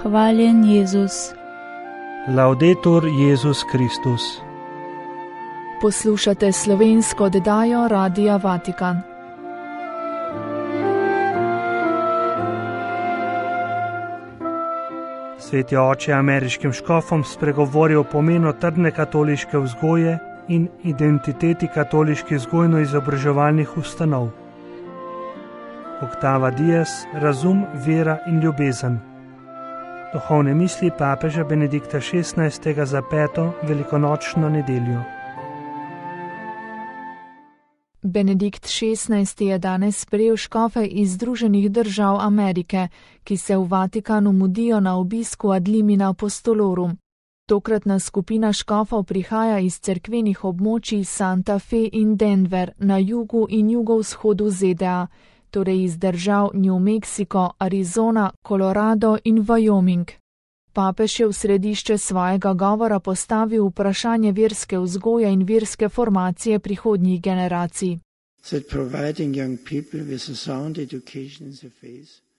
Hvaljen Jezus. Laudetur Jezus Kristus. Poslušate slovensko oddajo Radia Vatikan. Sveti oče ameriškim škofom spregovori o pomenu trdne katoliške vzgoje in identiteti katoliških vzgojno-izobraževalnih ustanov. Oktava Dias, razum, vera in ljubezen. Duhovne misli papeža Benedikta XVI. Za 5. velikonočno nedeljo. Benedikt XVI. Je danes sprejel škofe iz Združenih držav Amerike, ki se v Vatikanu mudijo na obisku ad limina apostolorum. Tokratna skupina škofov prihaja iz cerkvenih območij Santa Fe in Denver na jugu in jugovzhodu ZDA, torej iz držav New Mexico, Arizona, Colorado in Wyoming. Papež je v središče svojega govora postavil vprašanje verske vzgoje in verske formacije prihodnjih generacij.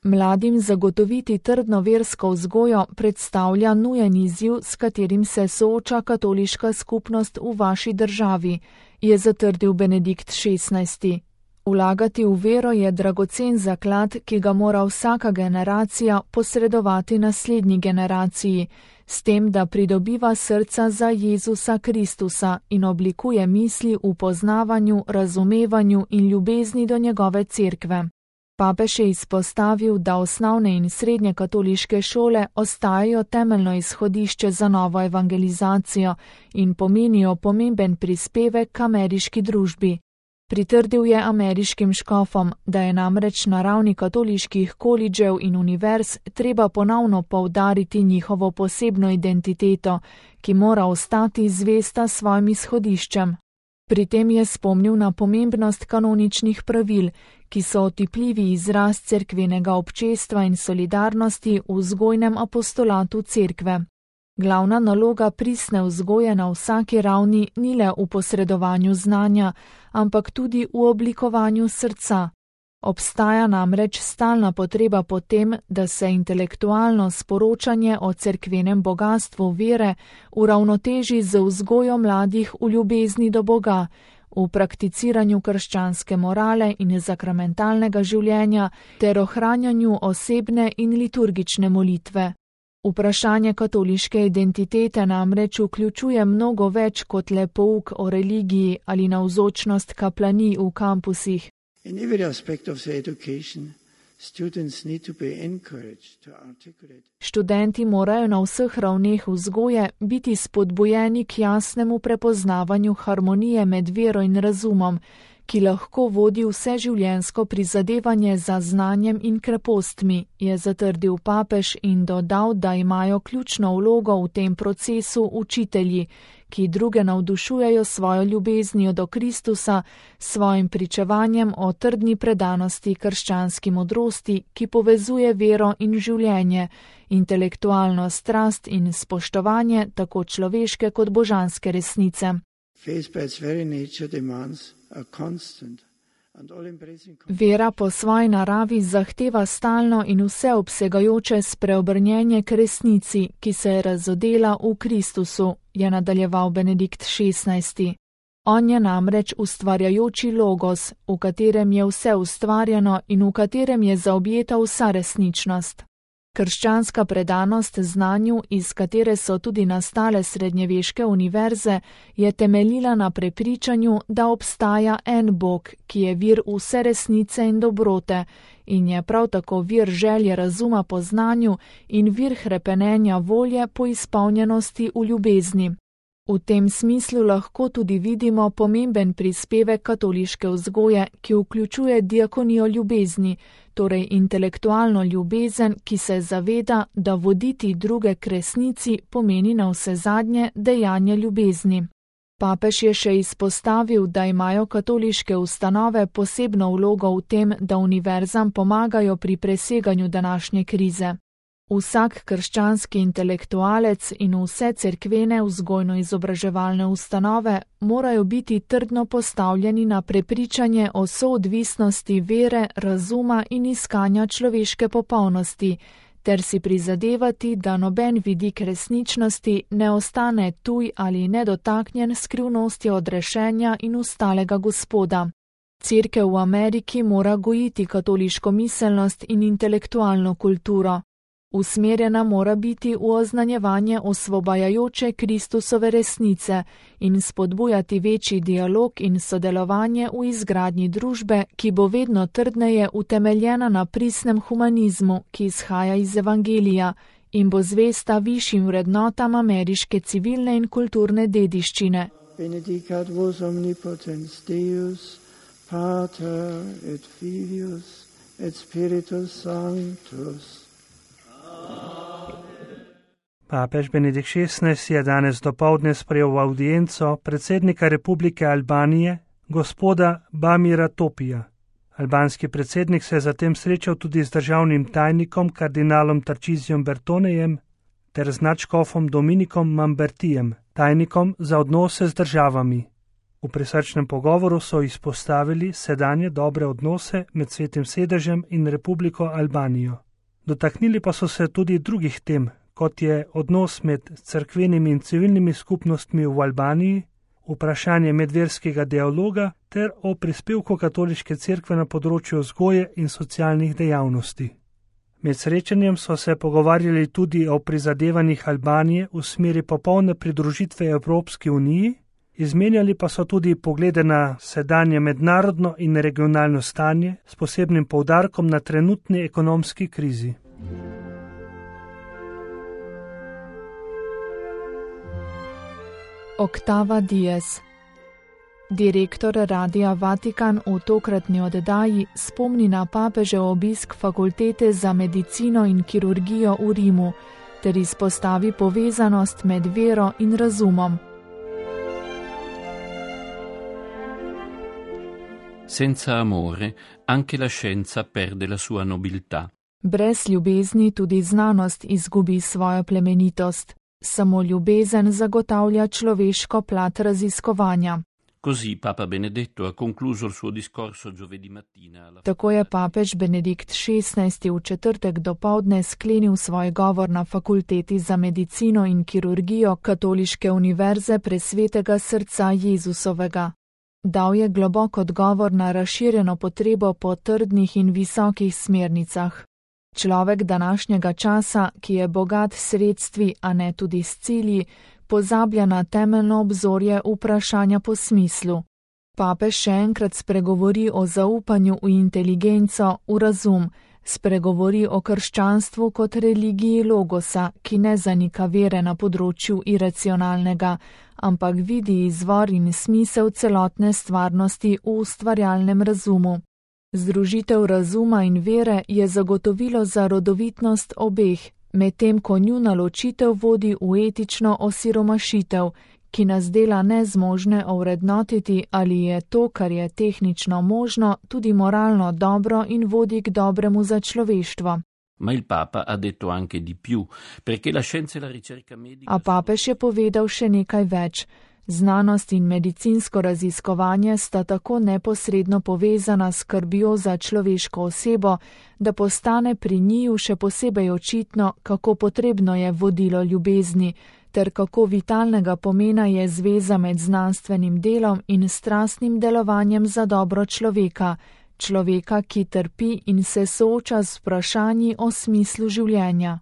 Mladim zagotoviti trdno versko vzgojo predstavlja nujen izziv, s katerim se sooča katoliška skupnost v vaši državi, je zatrdil Benedikt XVI. Vlagati v vero je dragocen zaklad, ki ga mora vsaka generacija posredovati naslednji generaciji, s tem, da pridobiva srca za Jezusa Kristusa in oblikuje misli v poznavanju, razumevanju in ljubezni do njegove cerkve. Papež je izpostavil, da osnovne in srednje katoliške šole ostajajo temeljno izhodišče za novo evangelizacijo in pomenijo pomemben prispevek k ameriški družbi. Pritrdil je ameriškim škofom, da je namreč na ravni katoliških kolidžev in univerz treba ponovno poudariti njihovo posebno identiteto, ki mora ostati zvesta svojim izhodiščem. Pri tem je spomnil na pomembnost kanoničnih pravil, ki so otipljivi izraz cerkvenega občestva in solidarnosti v vzgojnem apostolatu cerkve. Glavna naloga pristne vzgoje na vsaki ravni ni le v posredovanju znanja, ampak tudi v oblikovanju srca. Obstaja namreč stalna potreba po tem, da se intelektualno sporočanje o cerkvenem bogastvu vere uravnoteži z vzgojo mladih v ljubezni do Boga, v prakticiranju krščanske morale in sakramentalnega življenja ter ohranjanju osebne in liturgične molitve. Vprašanje katoliške identitete namreč vključuje mnogo več kot le pouk o religiji ali navzočnost kaplanij v kampusih. Študenti morajo na vseh ravneh vzgoje biti spodbujeni k jasnemu prepoznavanju harmonije med vero in razumom, ki lahko vodi vseživljenjsko prizadevanje za znanjem in krepostmi, je zatrdil papež in dodal, da imajo ključno vlogo v tem procesu učitelji, ki druge navdušujejo svojo ljubeznijo do Kristusa, svojim pričevanjem o trdni predanosti krščanski modrosti, ki povezuje vero in življenje, intelektualno strast in spoštovanje tako človeške kot božanske resnice. Vera po svoji naravi zahteva stalno in vseobsegajoče spreobrnjenje k resnici, ki se je razodela v Kristusu, je nadaljeval Benedikt XVI. On je namreč ustvarjajoči logos, v katerem je vse ustvarjeno in v katerem je zaobjeta vsa resničnost. Krščanska predanost znanju, iz katere so tudi nastale srednjeveške univerze, je temeljila na prepričanju, da obstaja en Bog, ki je vir vse resnice in dobrote in je prav tako vir želje razuma po znanju in vir hrepenenja volje po izpolnjenosti v ljubezni. V tem smislu lahko tudi vidimo pomemben prispevek katoliške vzgoje, ki vključuje diakonijo ljubezni, torej intelektualno ljubezen, ki se zaveda, da voditi druge k resnici pomeni navsezadnje dejanje ljubezni. Papež je še izpostavil, da imajo katoliške ustanove posebno vlogo v tem, da univerzam pomagajo pri preseganju današnje krize. Vsak krščanski intelektualec in vse cerkvene vzgojno-izobraževalne ustanove morajo biti trdno postavljeni na prepričanje o soodvisnosti vere, razuma in iskanja človeške popolnosti, ter si prizadevati, da noben vidik resničnosti ne ostane tuj ali nedotaknjen skrivnosti odrešenja in ustalega Gospoda. Cerkev v Ameriki mora gojiti katoliško miselnost in intelektualno kulturo. Usmerjena mora biti v oznanjevanje osvobajajoče Kristusove resnice in spodbujati večji dialog in sodelovanje v izgradnji družbe, ki bo vedno trdneje utemeljena na pristnem humanizmu, ki izhaja iz Evangelija in bo zvesta višjim vrednotam ameriške civilne in kulturne dediščine. Benedicat vos omnipotens Deus, Pater et Filius et Spiritus Sanctus. Papež Benedikt XVI je danes dopoldne sprejel v audienco predsednika Republike Albanije, gospoda Bamira Topija. Albanski predsednik se je zatem srečal tudi z državnim tajnikom kardinalom Tarčizijom Bertonejem ter z nadškofom Dominikom Mambertijem, tajnikom za odnose z državami. V prisrčnem pogovoru so izpostavili sedanje dobre odnose med Svetim sedežem in Republiko Albanijo. Dotaknili pa so se tudi drugih tem, kot je odnos med cerkvenimi in civilnimi skupnostmi v Albaniji, vprašanje medverskega dialoga ter o prispevku katoliške cerkve na področju vzgoje in socialnih dejavnosti. Med srečanjem so se pogovarjali tudi o prizadevanjih Albanije v smeri popolne pridružitve Evropski uniji, izmenjali pa so tudi poglede na sedanje mednarodno in regionalno stanje s posebnim poudarkom na trenutni ekonomski krizi. Oktava Diez. Direktor Radia Vatikan v tokratni oddaji spomni na papežev obisk fakultete za medicino in kirurgijo v Rimu ter izpostavi povezanost med vero in razumom. Senza amore, anche la scienza perde la sua nobiltà. Brez ljubezni tudi znanost izgubi svojo plemenitost. Samo ljubezen zagotavlja človeško plat raziskovanja. Così Papa Benedetto ha concluso il suo discorso giovedì mattina. Tako je papež Benedikt XVI v četrtek dopoldne sklenil svoj govor na fakulteti za medicino in kirurgijo Katoliške univerze Presvetega srca Jezusovega. Dal je globok odgovor na razširjeno potrebo po trdnih in visokih smernicah. Človek današnjega časa, ki je bogat s sredstvi, a ne tudi s cilji, pozablja na temeljno obzorje vprašanja po smislu. Papež še enkrat spregovori o zaupanju v inteligenco, v razum, spregovori o krščanstvu kot religiji logosa, ki ne zanika vere na področju iracionalnega, ampak vidi izvor in smisel celotne stvarnosti v ustvarjalnem razumu. Združitev razuma in vere je zagotovilo za rodovitnost obeh, medtem ko njuna ločitev vodi v etično osiromašitev, ki nas dela nezmožne ovrednotiti, ali je to, kar je tehnično možno, tudi moralno dobro in vodi k dobremu za človeštvo. Ma il Papa ha detto anche di più, perché la scienza e la ricerca medica... A papež je povedal še nekaj več. Znanost in medicinsko raziskovanje sta tako neposredno povezana s skrbjo za človeško osebo, da postane pri njiju še posebej očitno, kako potrebno je vodilo ljubezni, ter kako vitalnega pomena je zveza med znanstvenim delom in strastnim delovanjem za dobro človeka, ki trpi in se sooča z vprašanji o smislu življenja.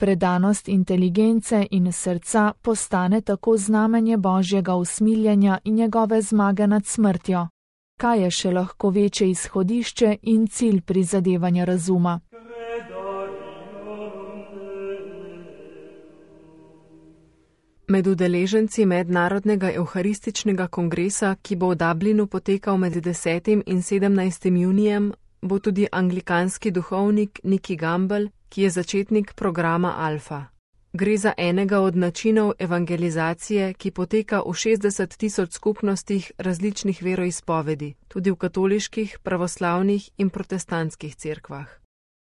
Predanost inteligence in srca postane tako znamenje Božjega usmiljenja in njegove zmage nad smrtjo. Kaj je še lahko večje izhodišče in cilj prizadevanja razuma? Med udeleženci Mednarodnega evharističnega kongresa, ki bo v Dublinu potekal med 10. in 17. junijem, bo tudi anglikanski duhovnik Nicky Gamble, ki je začetnik programa Alfa. Gre za enega od načinov evangelizacije, ki poteka v 60 000 skupnostih različnih veroizpovedi, tudi v katoliških, pravoslavnih in protestantskih cerkvah.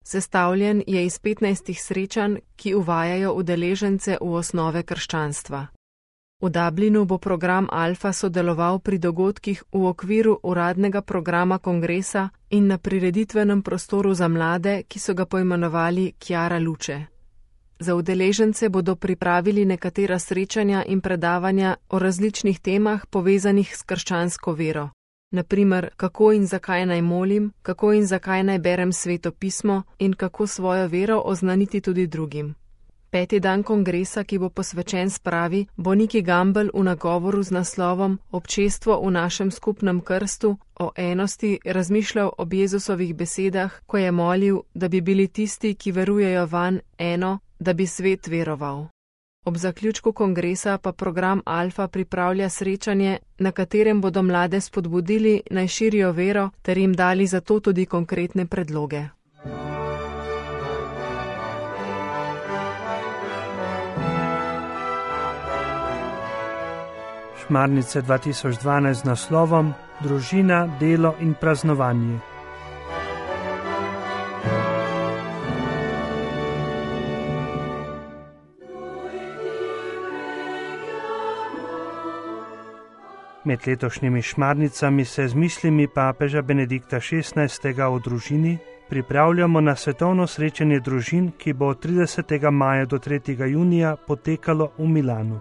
Sestavljen je iz 15 srečanj, ki uvajajo udeležence v osnove krščanstva. V Dublinu bo program Alfa sodeloval pri dogodkih v okviru uradnega programa kongresa in na prireditvenem prostoru za mlade, ki so ga poimenovali Chiara Luce. Za udeležence bodo pripravili nekatera srečanja in predavanja o različnih temah povezanih s krščansko vero. Naprimer, kako in zakaj naj molim, kako in zakaj naj berem Sveto pismo in kako svojo vero oznaniti tudi drugim. 5. dan kongresa, ki bo posvečen spravi, bo Nicky Gamble v nagovoru z naslovom Občestvo v našem skupnem krstu o enosti razmišljal ob Jezusovih besedah, ko je molil, da bi bili tisti, ki verujejo vanj, eno, da bi svet veroval. Ob zaključku kongresa pa program Alfa pripravlja srečanje, na katerem bodo mlade spodbudili, naj širijo vero ter jim dali za to tudi konkretne predloge. Šmarnice 2012 z naslovom Družina, delo in praznovanje. Med letošnjimi šmarnicami se z mislimi papeža Benedikta XVI. O družini pripravljamo na svetovno srečanje družin, ki bo od 30. maja do 3. junija potekalo v Milanu.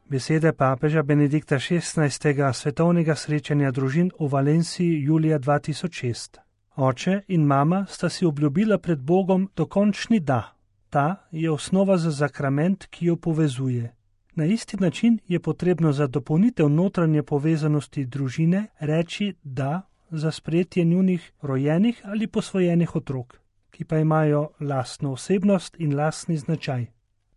Besede papeža Benedikta XVI. Svetovnega srečanja družin v Valenciji julija 2006. Oče in mama sta si obljubila pred Bogom dokončni da. Ta je osnova za zakrament, ki jo povezuje. Na isti način je potrebno za dopolnitev notranje povezanosti družine reči da za sprejetje njunih rojenih ali posvojenih otrok, ki pa imajo lastno osebnost in lastni značaj.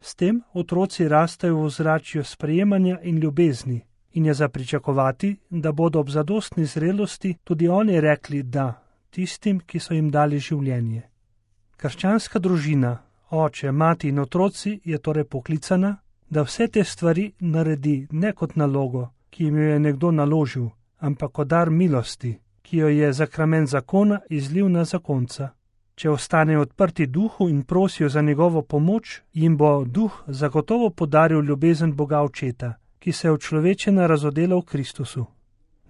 S tem otroci rastejo v ozračju sprejemanja in ljubezni in je za pričakovati, da bodo ob zadostni zrelosti tudi oni rekli da tistim, ki so jim dali življenje. Krščanska družina, oče, mati in otroci je torej poklicana, da vse te stvari naredi ne kot nalogo, ki jim jo je nekdo naložil, ampak kot dar milosti, ki jo je zakrament zakona izlil na zakonca. Če ostanejo odprti duhu in prosijo za njegovo pomoč, jim bo duh zagotovo podaril ljubezen Boga Očeta, ki se je učlovečena razodela v Kristusu.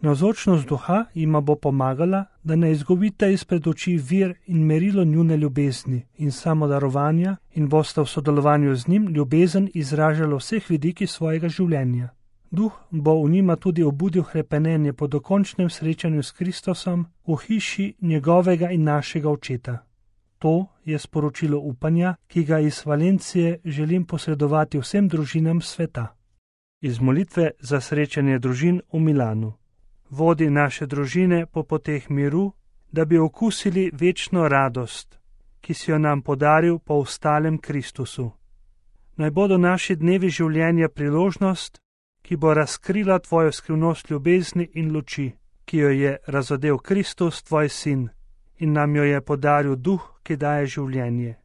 Navzočnost duha jima bo pomagala, da ne izgubite izpred oči vir in merilo njune ljubezni in samodarovanja in boste v sodelovanju z njim ljubezen izražali vseh vidikih svojega življenja. Duh bo v njima tudi obudil hrepenenje po dokončnem srečanju s Kristusom v hiši njegovega in našega Očeta. To je sporočilo upanja, ki ga iz Valencije želim posredovati vsem družinam sveta. Iz molitve za srečanje družin v Milanu. Vodi naše družine po poteh miru, da bi okusili večno radost, ki si jo nam podaril po ostalem Kristusu. Naj bodo naši dnevi življenja priložnost, ki bo razkrila tvojo skrivnost ljubezni in luči, ki jo je razodel Kristus, tvoj sin, in nam jo je podaril duh, ki daje življenje.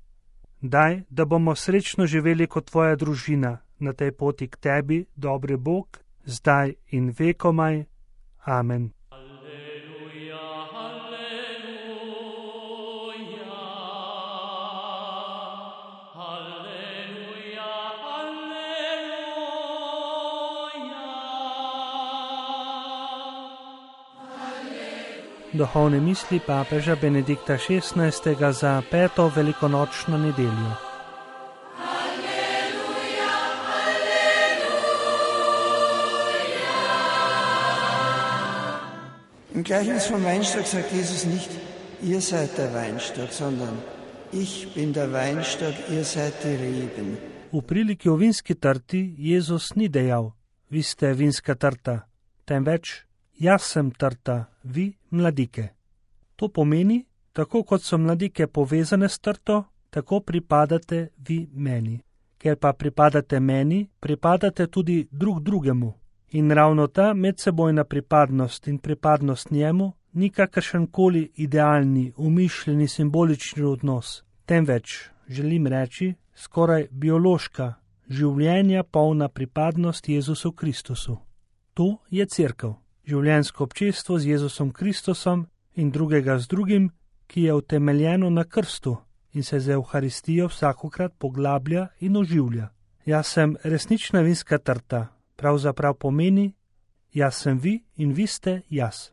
Daj, da bomo srečno živeli kot tvoja družina na tej poti k tebi, dobri Bog, zdaj in vekomaj. Amen. Alleluja, alleluja, alleluja, alleluja. Duhovne misli papeža Benedikta XVI. Za 5. velikonočno nedeljo. Im Gleichnis vom Weinstock sagt Jesus nicht, ihr seid der Weinstock, sondern ich bin der Weinstock, ihr seid die Reben. V priliki o vinski trti Jezus ni dejal, vi ste vinska trta, temveč jaz sem trta, vi mladike. To pomeni, tako kot so mladike povezane s trto, tako pripadate vi meni. Ker pa pripadate meni, pripadate tudi drug drugemu. In ravno ta medsebojna pripadnost in pripadnost njemu ni kakršenkoli idealni, umišljeni, simbolični odnos, temveč, želim reči, skoraj biološka, življenja polna pripadnost Jezusu Kristusu. To je cerkev, življenjsko občestvo z Jezusom Kristusom in drugega z drugim, ki je utemeljeno na krstu in se z Evharistijo vsakokrat poglablja in oživlja. Jaz sem resnična vinska trta, pravzaprav pomeni, jaz sem vi in vi ste jaz.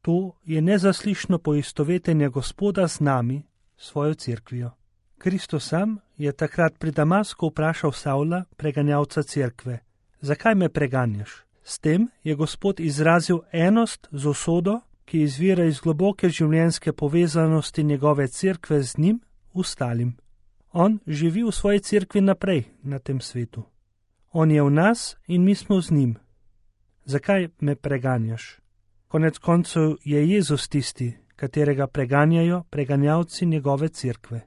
To je nezaslišno poistovetenje Gospoda z nami, svojo cerkvijo. Kristus sam je takrat pri Damasku vprašal Savla, preganjalca cerkve, zakaj me preganjaš? S tem je Gospod izrazil enost z usodo, ki izvira iz globoke življenjske povezanosti njegove cerkve z njim, ostalim. On živi v svoji cerkvi naprej na tem svetu. On je v nas in mi smo z njim. Zakaj me preganjaš? Konec koncev je Jezus tisti, katerega preganjajo preganjalci njegove cerkve.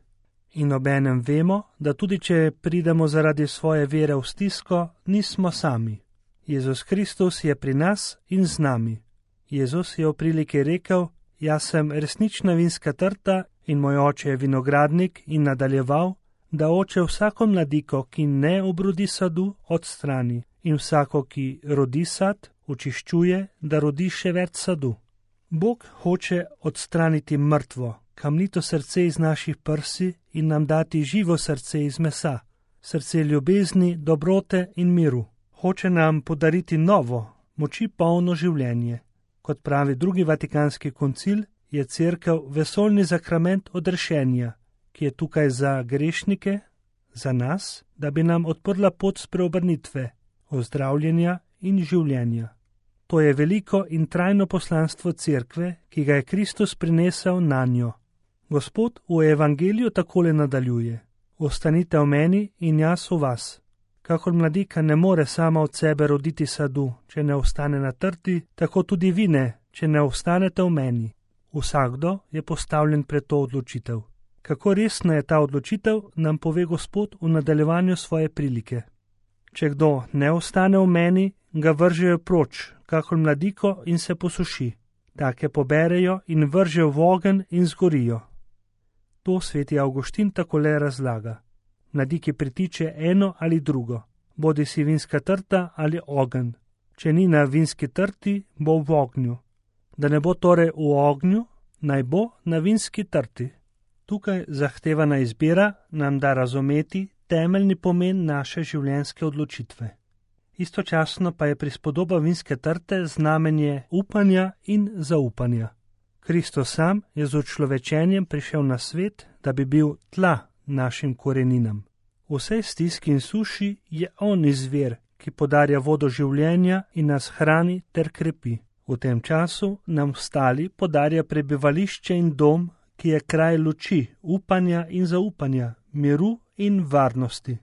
In obenem vemo, da tudi če pridemo zaradi svoje vere v stisko, nismo sami. Jezus Kristus je pri nas in z nami. Jezus je v priliki rekel, jaz sem resnična vinska trta in moj oče je vinogradnik, in nadaljeval, da oče vsako mladiko, ki ne obrodi sadu, odstrani, in vsako, ki rodi sad, očiščuje, da rodi še več sadu. Bog hoče odstraniti mrtvo, kamnito srce iz naših prsi in nam dati živo srce iz mesa, srce ljubezni, dobrote in miru. Hoče nam podariti novo, moči polno življenje. Kot pravi drugi vatikanski koncil, je cerkev vesoljni zakrament odrešenja, ki je tukaj za grešnike, za nas, da bi nam odprla pot spreobrnitve, ozdravljenja in življenja. To je veliko in trajno poslanstvo cerkve, ki ga je Kristus prinesel nanjo. Gospod v evangeliju takole nadaljuje: ostanite v meni in jaz v vas. Kakor mladika ne more sama od sebe roditi sadu, če ne ostane na trti, tako tudi vi ne, če ne ostanete v meni. Vsakdo je postavljen pred to odločitev. Kako resna je ta odločitev, nam pove Gospod v nadaljevanju svoje prilike. Če kdo ne ostane v meni, ga vržejo proč, kakor mladiko, in se posuši. Take poberejo in vržejo v ogenj in zgorijo. To sveti Avguštin takole razlaga. Mladiki pritiče eno ali drugo, bodi si vinska trta ali ogenj. Če ni na vinski trti, bo v ognju. Da ne bo torej v ognju, naj bo na vinski trti. Tukaj zahtevana izbira nam da razumeti temeljni pomen naše življenjske odločitve. Istočasno pa je prispodoba vinske trte znamenje upanja in zaupanja. Kristus sam je z učlovečenjem prišel na svet, da bi bil tla našim koreninam. V vsej stiski in suši je on izvir, ki podarja vodo življenja in nas hrani ter krepi. V tem času nam ostali podarja prebivališče in dom, ki je kraj luči, upanja in zaupanja, miru in varnosti.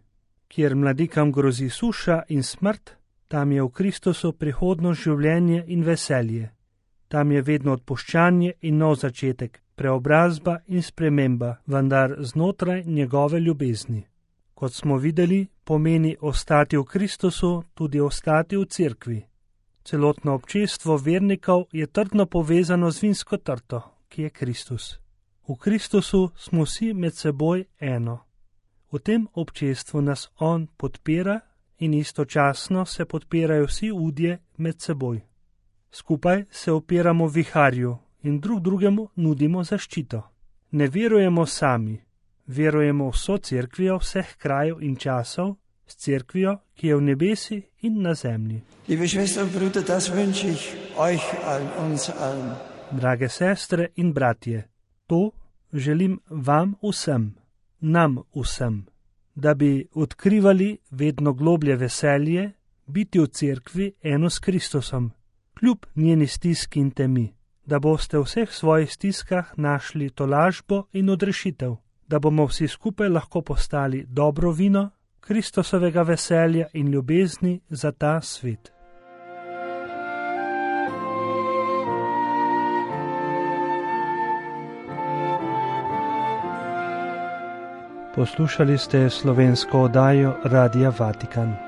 Kjer mladikam grozi suša in smrt, tam je v Kristusu prihodno življenje in veselje. Tam je vedno odpuščanje in nov začetek, preobrazba in sprememba, vendar znotraj njegove ljubezni. Kot smo videli, pomeni ostati v Kristusu tudi ostati v cerkvi. Celotno občestvo vernikov je trdno povezano z vinsko trto, ki je Kristus. V Kristusu smo vsi med seboj eno. V tem občestvu nas on podpira in istočasno se podpirajo vsi udje med seboj. Skupaj se opiramo viharju in drug drugemu nudimo zaščito. Ne verujemo sami, verujemo vso cerkvijo vseh krajev in časov, s cerkvijo, ki je v nebesi in na zemlji. Liebe Schwestern und Brüder, das wünsche ich euch allen, uns allen. Drage sestre in bratje, to želim vam vsem, nam vsem, da bi odkrivali vedno globlje veselje, biti v cerkvi eno s Kristusom, kljub njeni stiski in temi, da boste v vseh svojih stiskah našli tolažbo in odrešitev, da bomo vsi skupaj lahko postali dobro vino Kristusovega veselja in ljubezni za ta svet. Poslušali ste slovensko oddajo Radia Vatikan.